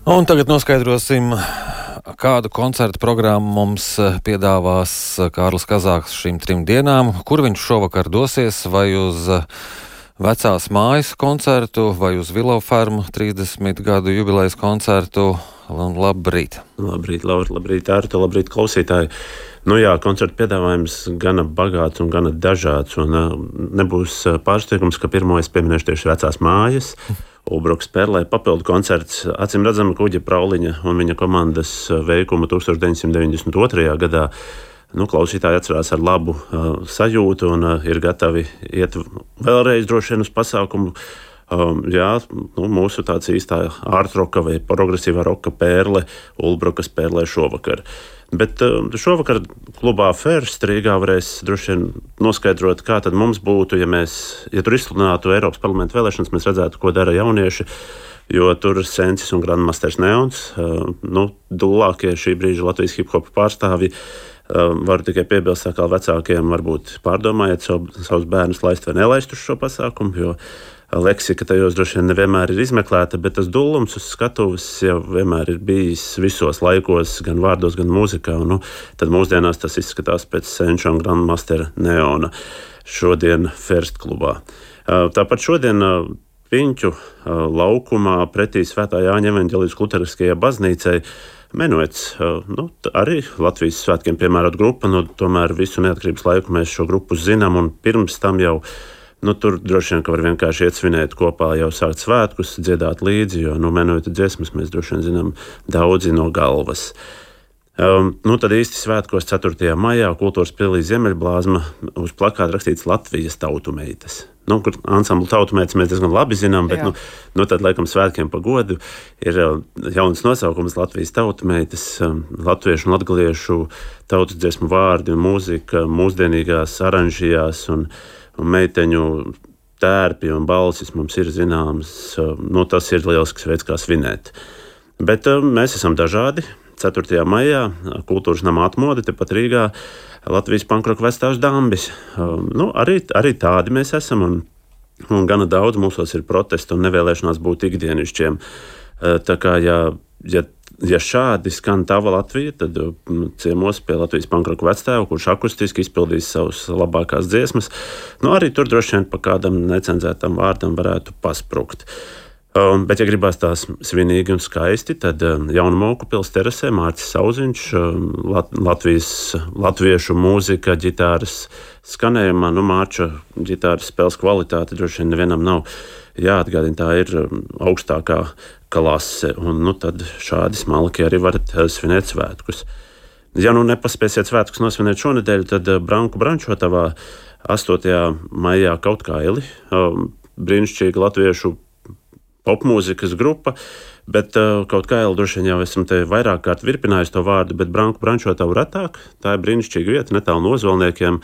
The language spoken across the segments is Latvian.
Un tagad noskaidrosim, kādu koncertu programmu mums piedāvās Kārlis Kazāks šīm 3 dienām. Kur viņš šovakar dosies? Vai uz Vecās mājas koncertu, vai uz Willow Farmu 30 gadu jubilejas koncertu? Labrīt! Labrīt, Ārta, labrīt, klausītāji! Nu jā, koncertu piedāvājums gana bagāts un gana dažāds, un nebūs pārsteigums, ka pirmo es pieminēšu tieši Vecās mājas. Ulbrukas Perlē papildu koncerts, acīm redzama Kuģa Prauliņa un viņa komandas veikumu 1992. gadā. Klausītāji atcerās ar labu sajūtu un ir gatavi iet vēlreiz droši vien uz pasākumu. Mūsu tāds īstā ārtroka vai progresīvā roka Perle, Ulbrukas Perlē šovakar. Bet šovakar klubā First Rīgā varēs droši vien noskaidrot, kā tad mums būtu, ja tur izsludinātu Eiropas parlamenta vēlēšanas, mēs redzētu, ko dara jaunieši, jo tur Sensis un Grandmasters Neons, dulākie šī brīža Latvijas hip-hopa pārstāvji. Varu tikai piebilst, kā vecākiem varbūt pārdomājiet savus bērnus laist vai nelaist uz šo pasākumu, jo leksika tajos droši vien nevienmēr ir izmeklēta, bet tas dullums uz skatuves jau vienmēr ir bijis visos laikos, gan vārdos, gan mūzikā. Tad mūsdienās tas izskatās pēc Senča un Grandmastera Neona šodien First klubā. Tāpat šodien Piņķu laukumā pretī Svētā Jāņa evaņģēlijas luteriskajai baznīcai Menuets, arī Latvijas svētkiem piemērot grupa, tomēr visu neatkarības laiku mēs šo grupu zinām, un pirms tam jau tur droši vien, ka var vienkārši iet svinēt kopā, jau sākt svētkus, dziedāt līdzi, jo Menueta dziesmas mēs droši vien zinām daudzi no galvas. Tad īsti svētkos 4. maijā Kultūras pilī Ziemeļblāzma uz plakāta rakstīts Latvijas tautumeitas. Kur ansamblu tautumeitas mēs diezgan labi zinām, bet tad laikam svētkiem pa godu ir jauns nosaukums Latvijas tautumeitas, latviešu un latgaliešu tautas dziesmu vārdi un mūzika mūsdienīgās aranžijās un meiteņu tērpi un balsis mums ir zināms. Tas ir lielisks veids, kā svinēt. Bet mēs esam dažādi. 4. maijā Kultūras nama atmode tepat Rīgā Latvijas pankroka vecstāvs Dambis. Arī tādi mēs esam, un gana daudz mūsos ir protesti un nevēlēšanās būt ikdienišķiem. Tā kā, ja šādi skan tava Latvija, tad ciemos pie Latvijas pankroka vecstāva, kurš akustiski izpildīs savus labākās dziesmas, arī tur droši vien pa kādam necenzētam vārdam varētu pasprukt. Bet, ja gribās tās svinīgi un skaisti, tad Jaunmoku pils terasē Mārcis Sauziņš, latviešu mūzika, ģitāras skanējumā, Mārča ģitāras spēles kvalitāte droši vien nevienam nav jāatgādina, tā ir augstākā klase, un tad šādi smalki arī varat svinēt svētkus. Ja nepaspēsiet svētkus nosvinēt šonedēļ, tad Branku Brančotavā 8. maijā Kaut kaili, brīnišķīga latviešu popmūzikas grupa, bet Kaut kaili droši vien jau esam te vairāk kārt virpinājusi to vārdu, bet Branku Brančotavu retāk. Tā ir brīnišķīga vieta, netālu no Ozolniekiem.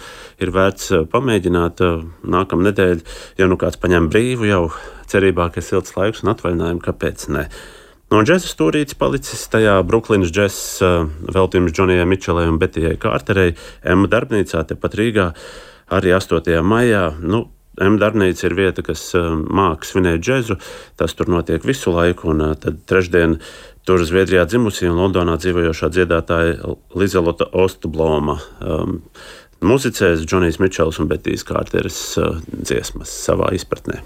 Ir vērts pamēģināt nākamā nedēļa, ja kāds paņem brīvu jau cerībā, ka ir silts laiks un atvaļinājumi, kāpēc ne. Džeza stūrītis palicis tajā Bruklinas džeza veltījums Džonijai Mičelai un Betijai Kārterei Emma darbnīcā tepat Rīgā arī 8. maijā. Emma darbnīca ir vieta, kas māca svinēt džezu. Tas tur notiek visu laiku, un tad trešdien tur Zviedrijā dzimusī un Londonā dzīvojošā dziedātāja Lizelota Ostbloma muzicēs Džonijs Mičels un Betijas Kārteres dziesmas savā izpratnē.